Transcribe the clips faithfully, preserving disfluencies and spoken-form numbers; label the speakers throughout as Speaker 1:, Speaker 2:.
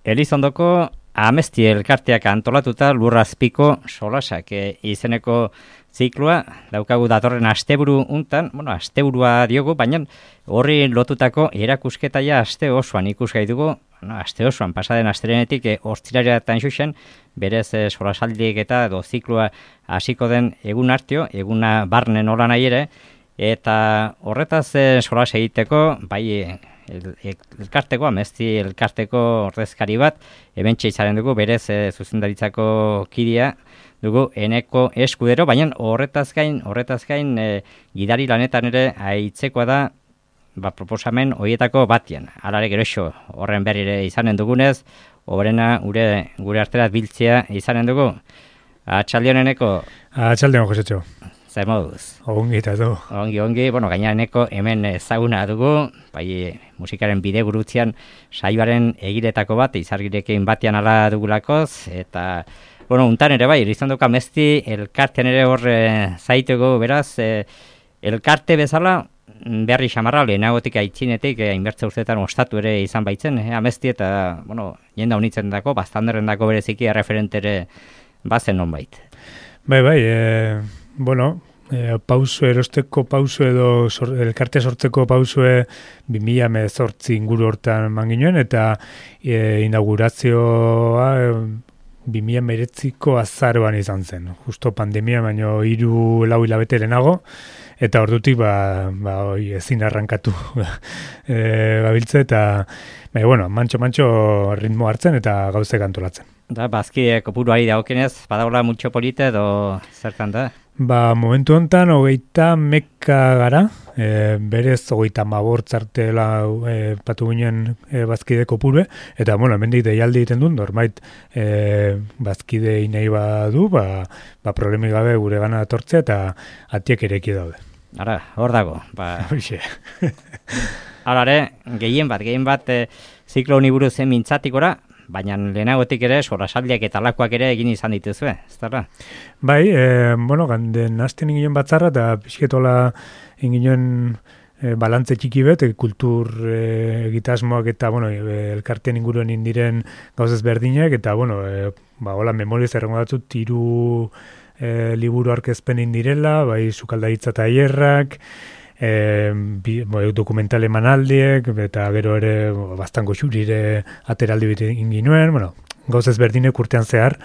Speaker 1: Elizondoko Amezti elkarteak antolatuta lurrazpiko solasak e, izeneko zikloa daukagu datorren asteburu untan, bueno, asteburua diogu, baina horri lotutako erakusketaia aste osoan ikusgai dugu, no, aste osoan pasaden astelenetik e, ostiraletan xuxen, berez e, solasaldiek eta edo zikloa hasiko den egun hartio, eguna barne nola nahi ere, eta horretaz e, solas egiteko, bai El, el, elkarteko, Amezti elkarteko ordezkari bat, hementxe izaren dugu, berez e, zuzendaritzako kidea dugu Eneko Eskudero, baina horretaz gain, horretaz gain e, gidari lanetan ere aitzekoa da, ba, proposamen horietako batian. Alare geroxo horren berrire izanen dugunez, horrena gure, gure arterat biltzea izanen dugu. Atxaldion Eneko.
Speaker 2: Atxaldion, Josetxo.
Speaker 1: Zer moduz?
Speaker 2: Ongi eta du.
Speaker 1: Ongi, ongi, bueno, gaineraneko hemen ezaguna dugu, bai musikaren bide gurutzean saioaren egiretako bat, izargirekin batean ala dugulakoz, eta, bueno, untan ere bai, Elizondoko Amezti elkartean ere hor e, zaitugu, beraz, e, elkarte bezala, berri xamarra, lehenagotik aitzinetik, e, inbertze urteetan ostatu ere izan baitzen, e, Amezti eta, bueno, jenda unitzen dako, baztanderren dako bereziki erreferentere bazen non bait.
Speaker 2: Bai, bai, e, bueno, e, pauso, erosteko pauso edo sor, elkarte sortzeko pausue bi mila hemezortzi inguru hortan manginuen, eta e, inaugurazioa e, bi mila hemeretziko azaroan izan zen. Justo pandemia, baino hiru lau hilabete lehenago, eta ordutik ba, ba, oi, ezin arrankatu e, gabiltze, eta bai, bueno, mantxo-mantxo ritmo hartzen eta gauzek antolatzen.
Speaker 1: Da, bazkide kopuruari dagokenez, badagola mutxo polite edo zertan da?
Speaker 2: Ba, momentu honetan, hogeita meka gara, e, berez hogeita mabortzartela e, patu ginen e, bazkide kopurue, eta, bueno, hemendik deialdi egiten dut, normait e, bazkide inei badu, ba, ba problemi gabe gure gana atortzea, eta atiek ereki daude.
Speaker 1: Ara, hor dago. Ba.
Speaker 2: Hoxe.
Speaker 1: Alare, gehien bat, gehien bat, e, ziklo honi buruz mintzatikora, baina lehenagotik ere, solasaldiak eta lakoak ere egin izan dituzue, ez da?
Speaker 2: Bai, e, bueno, ganden hasten inginen batzarra, eta pixketola inginen e, balantze txiki bet, e, kultur e, egitasmoak eta, bueno, e, elkartean inguruen indiren gauzez berdinak, eta, bueno, e, ba, hola, memoriz errengo datzu, tiru e, liburu arkezpen indirela, bai, sukaldaritza eta hierrak, E, bi, bo, dokumental emanaldiek, eta gero ere bo, bastango xurire ateraldi bete inginuen, bueno, gauz ezberdinek urtean zehar,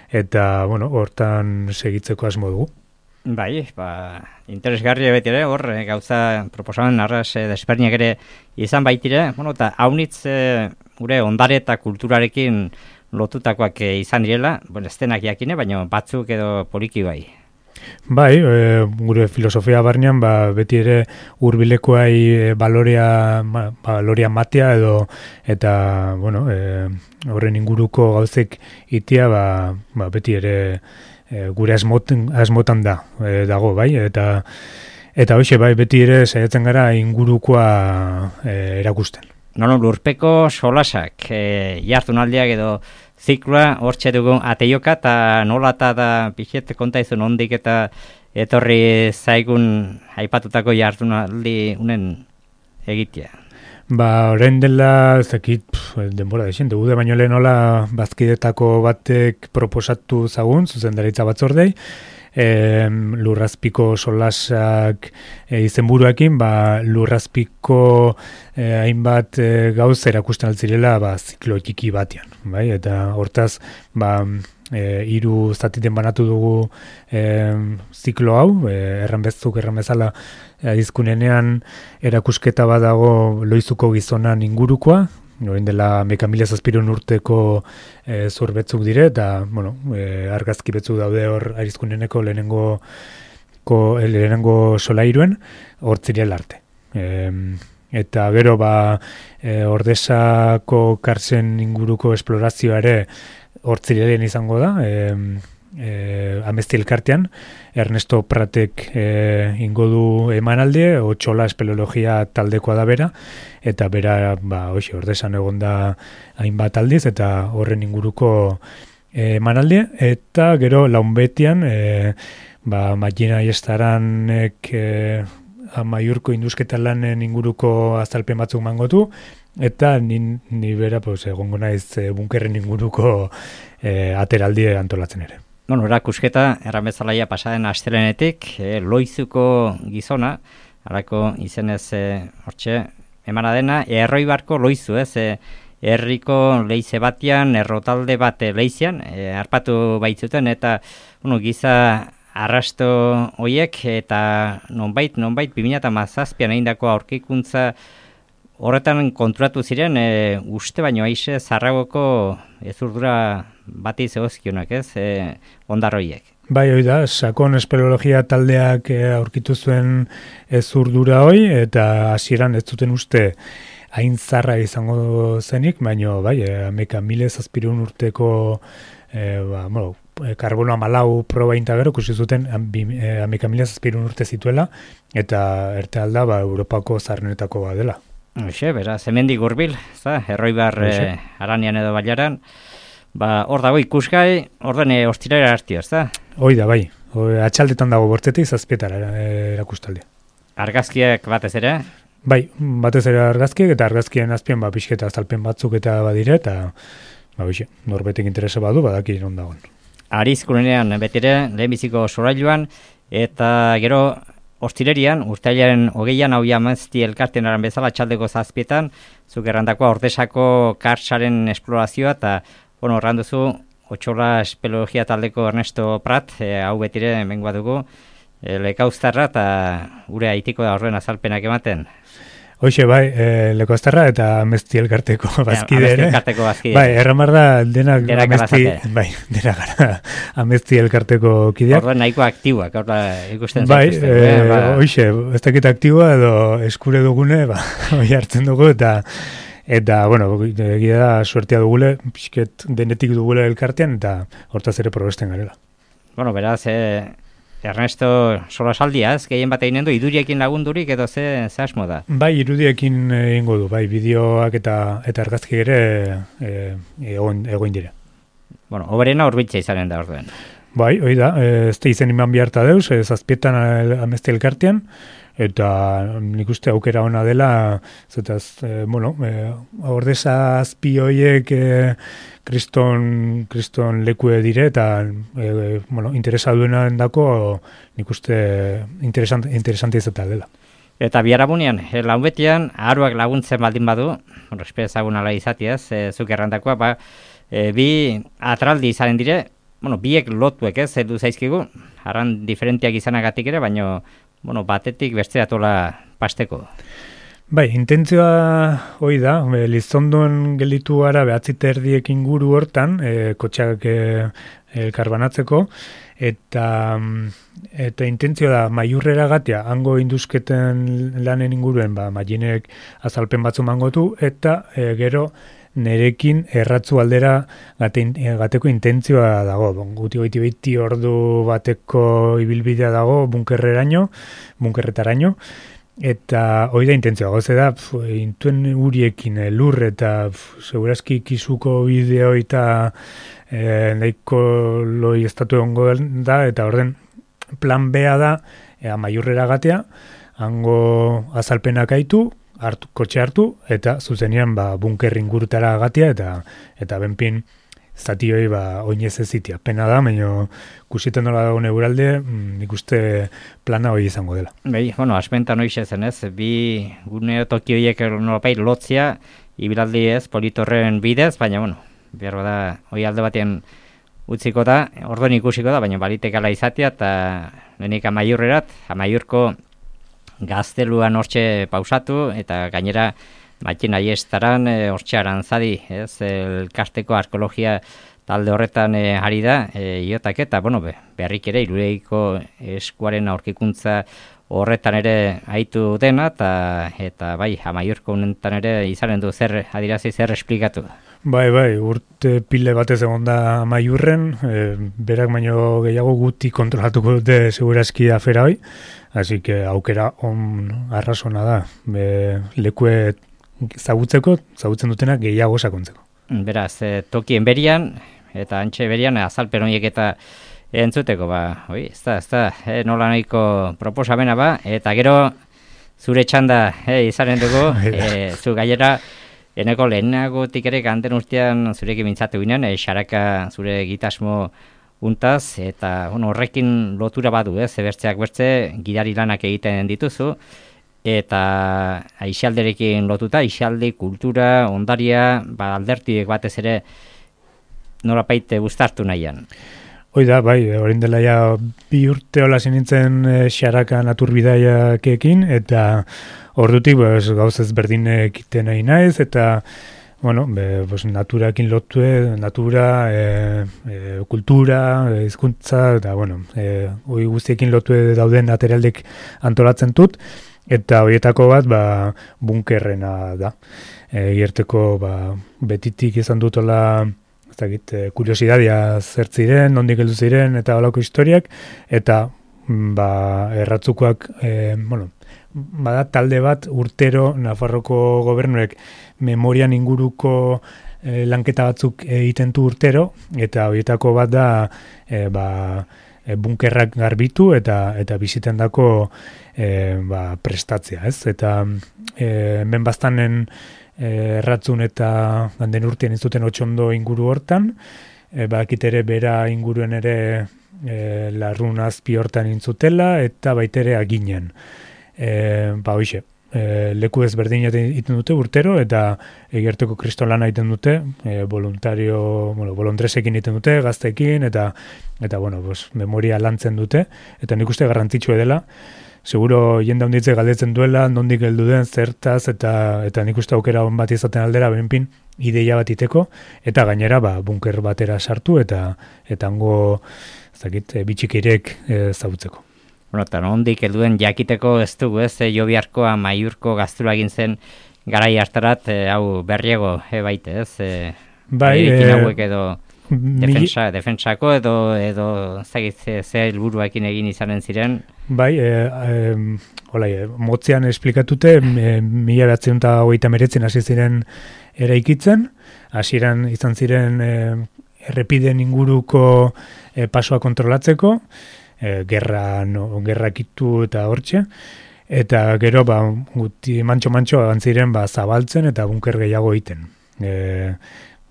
Speaker 2: eta, bueno, hortan segitzeko asmo dugu.
Speaker 1: Bai, ba, interesgarria beti ere, hor, gauza proposamen arras e, desberdinak ere izan baitire, bueno, eta haunitz e, gure ondare eta kulturarekin lotutakoak e, izan direla, bueno, ez denak jakine, baina batzuk edo poliki bai.
Speaker 2: Bai, e, gure filosofia barnean ba, beti ere hurbilekoai e, balorea, ma, balorea matea edo eta bueno, e, horren inguruko gauzek itia ba, ba, beti ere e, gure asmoten, asmotan da e, dago, bai, eta eta hoxe bai beti ere saiatzen gara ingurukoa e, erakusten.
Speaker 1: Nono, lurpeko solasak, e, jardunaldiak edo zikloa hortxe dugu ateioka, eta nola eta da pixet kontaizun ondik eta etorri zaigun aipatutako jardunaldi unen egitea.
Speaker 2: Ba, orain dela, zekit, denbora dexen, dugu de baino lehen nola bazkidetako batek proposatu zagun, zuzendaritza batzordei, e, lurrazpiko solasak e, izenburuekin, ba, lurrazpiko e, hainbat e, gauz erakusten altzirela ba, ziklo txiki batean. Bai? Eta hortaz, ba, e, hiru zatiten banatu dugu e, ziklo hau, e, erran bezuk, erran bezala adizkunenean erakusketa badago Loizuko gizonan ingurukoa, orain dela meka mila zazpiron urteko e, zur betzuk dire, eta bueno, e, argazki betzuk daude hor arizkuneneko lehenengo, ko, lehenengo solairuen, hor zirela arte. E, eta gero ba, e, Ordesako karzen inguruko esplorazioa ere hor zirelen izango da, e, e, Amezti elkartean, Ernesto Pratek e, ingo du emanaldi, Otxola espeleologia taldekoa da bera, eta bera, ba, hoxe, Ordesan egon da hainbat aldiz, eta horren inguruko e, emanaldi, eta gero launbetian, e, ba, Magina Iestaranek e, Amaiurko induzketa lanen inguruko azalpen batzuk mangotu, eta ni, ni bera pues, egongo naiz e, bunkerren inguruko e, ateraldi antolatzen ere.
Speaker 1: Bueno, erakusketa, erran bezalaia pasaden astelenetik, e, Loizuko gizona, harako izenez e, hortxe, emana dena, Erroibarko Loizu, ez, e, herriko leize batian, errotalde bat leizean, e, harpatu baitzuten, eta bueno, giza arrasto hoiek, eta nonbait, nonbait, bi mila hamazazpian egindako aurkikuntza horretan konturatu ziren, e, uste baino aixe zarragoko ezurdura bati zegozkionak, ez, e, ondarroiek.
Speaker 2: Bai, hoi da, sakon espeleologia taldeak aurkitu zuen ezurdura hoi, eta hasieran ez zuten uste hain zarra izango zenik, baino bai, ameka mile zazpirun urteko e, ba, bueno, karbono amalau proba intagero, kusi zuten ameka mile zazpirun urte zituela, eta erte alda ba, Europako zarrenetako bat dela.
Speaker 1: Hoxe, beraz, hemendik hurbil, Erroibar e, Aranian edo Bailaran, ba, hor dago ikusgai, orden e, ostirera hartio, ez da?
Speaker 2: Hoi da, bai. Hoi, atxaldetan dago bortzetik zazpietara erakustalde.
Speaker 1: Argazkiak batez ere?
Speaker 2: Bai, batez ere argazkiak, eta argazkien azpian ba, pixketa azalpen batzuk eta badire, eta ba, bixe, norbetek interesa badu, badaki non dagoen.
Speaker 1: Arizkunean betire, lehenbiziko sorailuan, eta gero ostirerian, urtailaren hogeian hau jamazti elkarten aran bezala txaldeko zazpietan, zuk errandakoa Ordesako kartsaren esplorazioa, eta bueno, erranduzu, Otxola espeleologia taldeko Ernesto Prat, e, hau betire mengoa dugu, e, lekauztarra eta gure aitiko da horren azalpenak ematen.
Speaker 2: Hoxe, bai, e, lekauztarra eta amezti elkarteko bazkide ere.
Speaker 1: Amezti elkarteko bazkide.
Speaker 2: Bai, erramar da denak amezti, bai, denak gara amezti elkarteko kideak.
Speaker 1: Horren nahiko aktiboak, horra ikusten
Speaker 2: bai,
Speaker 1: zaituzten.
Speaker 2: Bai,
Speaker 1: eh, ba.
Speaker 2: hoxe, ez dakit aktiboa edo eskure dugune, ba, hoi hartzen dugu eta Eta, bueno, egia da suertea dugule, pixket denetik dugule elkartean, eta hortaz ere probesten garela.
Speaker 1: Bueno, beraz, eh, Ernesto solasaldia, ez, gehien bat egin du, iduriekin lagundurik edo ze, ze asmo da?
Speaker 2: Bai, irudiekin egingo du, bai, bideoak eta eta argazki ere e, egon, egoin dire.
Speaker 1: Bueno, oberena horbitza izanen da orduen.
Speaker 2: Bai, hoi da, ez da izen iman biharta deuz, ez zazpietan amezte elkartean, eta nik uste aukera ona dela, zetaz, e, bueno, e, Ordesa azpi hoiek e, kriston, kriston lekue dire, eta e, bueno, interesa duena endako nik uste interesant, interesante izatea dela.
Speaker 1: Eta biharamunean, e, launbetian, aharuak laguntzen baldin badu, bueno, espezagun ala izatiaz, e, zuk errandakoa, ba, e, bi atraldi izaren dire, bueno, biek lotuek ez, edu zaizkigu, arran diferentiak izanagatik ere, baino, bueno, batetik besteratola pasteko.
Speaker 2: Bai, intentzioa hoi da, e, Lizondon gelditu gara behatzi terdiek inguru hortan, e, kotxak e, elkarbanatzeko, eta, eta intentzioa da, maiurrera gatia, hango induzketen lanen inguruen, ba, maiinek azalpen batzu mangotu, eta e, gero, nerekin erratzu aldera gate, gateko intentzioa dago. Guti goiti behiti ordu bateko ibilbidea dago bunkerreraino, bunkerretaraino, eta hori da intentzioa. Goze da, pf, intuen uriekin lur eta pf, segurazki kisuko bideo eta e, nahiko loi estatu egongo da, eta orden plan bea da, ea maiurrera gatea, hango azalpenak aitu, hartu, kotxe hartu, eta zuzenean ba, bunker ingurutara agatia, eta eta benpin zatioi ba, oinez ez zitia. Pena da, baina kusiten nola dago neuralde, nik uste plana hori izango dela.
Speaker 1: Bai, bueno, asmentan hoize zen ez, bi gune toki horiek nolapait lotzia, ibilaldi ez, politorren bidez, baina, bueno, behar da, hori alde batean utziko da, orduan ikusiko da, baina balitekala izatea, eta lehenik amaiurrerat, amaiurko gazteluan hortxe pausatu, eta gainera matxin aiestaran e, hortxe arantzadi, ez, elkasteko arkeologia talde horretan e, ari da, e, iotak eta, bueno, be, beharrik ere, Irulegiko eskuaren aurkikuntza horretan ere aitu dena, eta, eta bai, amaiurko honetan ere izanen du zer, adirazi zer esplikatu.
Speaker 2: Bai, bai, urte pile batez egon da amaiurren, e, berak baino gehiago guti kontrolatuko dute segurazki afera hoi, así que aukera on arrazona da, be, lekue zagutzeko, zagutzen dutenak gehiago sakontzeko.
Speaker 1: Beraz, e, tokien berian, eta antxe berian, azalpen horiek eta entzuteko, ba, oi, ez da, ez da, e, nola nahiko proposamena ba, eta gero zure txanda e, izanen dugu, e, zu gailera, Eneko lehenagotik ere ganten urtean zurekin mintzatu ginen, e, xaraka zure gitasmo untaz, eta bueno, horrekin lotura badu, ez, ebertzeak bertze, gidari lanak egiten dituzu, eta aisialderekin lotuta, aisialdi, kultura, ondaria, ba, aldertiek batez ere norapaite gustartu nahian.
Speaker 2: Hoi da, bai, orain dela ja bi urte hola nintzen e, xaraka naturbidaiakekin, eta ordutik pues, gauz ezberdin egiten nahi naiz, eta bueno, be, pues, naturakin lotue, natura, e, e, kultura, e, hizkuntza, eta bueno, e, hoi guztiekin lotue dauden ateraldek antolatzen dut, eta horietako bat ba, bunkerrena da. E, Gerteko ba, betitik izan dutola ezagit, kuriosidadia zertziren, nondik heldu ziren, eta holako historiak, eta ba, erratzukoak, e, bueno, bada talde bat urtero Nafarroko gobernuek memorian inguruko e, lanketa batzuk egiten du urtero, eta horietako bat da e, ba, e, bunkerrak garbitu eta eta bizitendako e, ba, prestatzea, ez? Eta e, hemen bastanen e, erratzun eta ganden urtean izuten otxondo inguru hortan, e, bakit ere bera inguruen ere e, larrun azpi hortan intzutela, eta baitere aginen. E, ba hoxe, e, leku ezberdin egiten dute urtero, eta egerteko kristolana egiten dute, e, voluntario, bueno, volontresekin egiten dute, gazteekin, eta eta bueno, pues, memoria lantzen dute, eta nik uste garrantzitsua dela, seguro jende handitze galdetzen duela, nondik heldu den, zertaz, eta eta nik uste aukera on bat izaten aldera, benpin, ideia bat iteko, eta gainera ba, bunker batera sartu, eta eta hango, ez dakit, bitxikirek e, zautzeko.
Speaker 1: Bueno, eta nondik helduen jakiteko ez dugu, ez, e, Jobiarko, Amaiurko gaztula egin zen garai hartarat, e, hau berriego, e, baite, ez? E,
Speaker 2: bai,
Speaker 1: e, hauek
Speaker 2: e,
Speaker 1: edo defensa, mi... defensako edo edo zagit ze, ze helburuekin egin izanen ziren.
Speaker 2: Bai, e, e, hola, e, motzean esplikatute, e, mila behatzen eta hogeita meretzen hasi ziren eraikitzen, hasieran izan ziren e, errepiden inguruko e, pasoa kontrolatzeko, E, gerra, no, gerrakitu eta hortxe, eta gero ba, guti mantxo-mantxo agantziren ba, zabaltzen eta bunker gehiago egiten. E,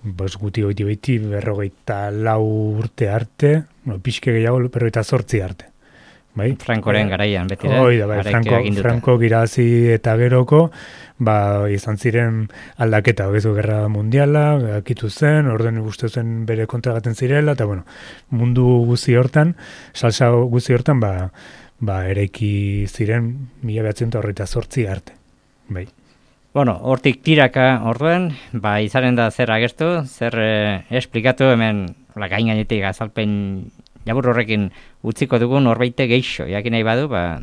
Speaker 2: bos, guti goiti beti berrogeita lau urte arte, no, pixke gehiago berrogeita zortzi arte. Bai?
Speaker 1: Frankoren garaian, beti da?
Speaker 2: Hoi da, bai, Franko, Franko girazi eta geroko, ba, izan ziren aldaketa, bezu gerra mundiala, akitu zen, orden uste zen bere kontragaten zirela, eta bueno, mundu guzi hortan, salsa guzi hortan, ba, ba eraiki ziren mila behatzen eta horreta zortzi arte. Bai.
Speaker 1: Bueno, hortik tiraka orduen, ba, izanen da zer agertu, zer eh, esplikatu hemen, la gain gainetik azalpen jabur horrekin utziko dugun horbeite geixo, jakin nahi badu, ba,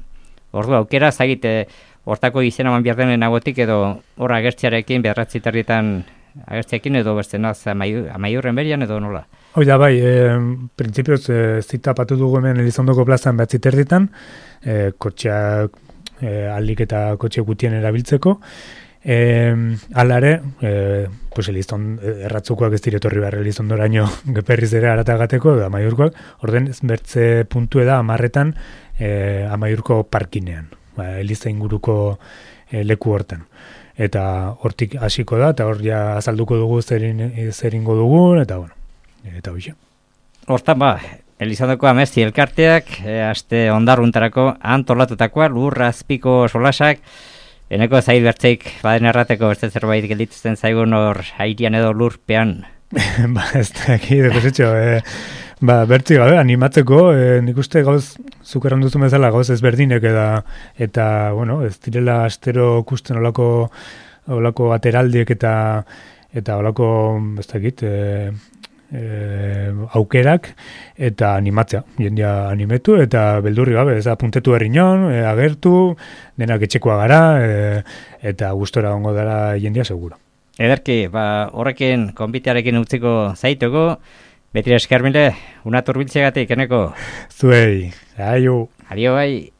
Speaker 1: ordu aukera, zagite, hortako izena man behar denen agotik edo hor agertziarekin, beharratzi terrietan agertziarekin edo beste naz Amaiurren berian edo nola?
Speaker 2: Hoi da, bai, e, printzipioz e, zita patu dugu hemen Elizondoko plazan behatzi terrietan, e, kotxeak, e, alik eta kotxe gutien erabiltzeko, E, alare, e, pues Elizondo, erratzukoak ez diretorri behar Elizondoraino geperriz ere aratagateko, da Amaiurkoak, orden bertze puntu da amarretan e, Amaiurko parkinean, ba, Eliza inguruko e, leku hortan. Eta hortik hasiko da, eta hor ja azalduko dugu zerin, zeringo dugun, eta bueno, eta hoxe.
Speaker 1: Hortan ba, Elizondoko Amesti elkarteak, e, aste ondarruntarako antolatutakoa, lurra azpiko solasak, eneko zail bertzeik baden errateko beste zerbait gelditzen zaigun hor airian edo lurpean.
Speaker 2: Ba, ez da, eki, dekosetxo, e, ba, bertzi gabe, animatzeko, e, nik uste gauz, zukeran duzu bezala gauz ezberdinek eta, eta, bueno, ez direla astero kusten olako, olako ateraldiek eta, eta olako, ez dakit, e, E, aukerak eta animatzea, jendia animetu eta beldurri gabe, ez da puntetu herriñon, e, agertu, denak etxekoa gara e, eta gustora ongo dara jendia seguro.
Speaker 1: Ederki, ba, horrekin konbitearekin utziko zaituko, betire eskermile, una turbiltzegatik, eneko?
Speaker 2: Zuei, aio.
Speaker 1: Adio bai.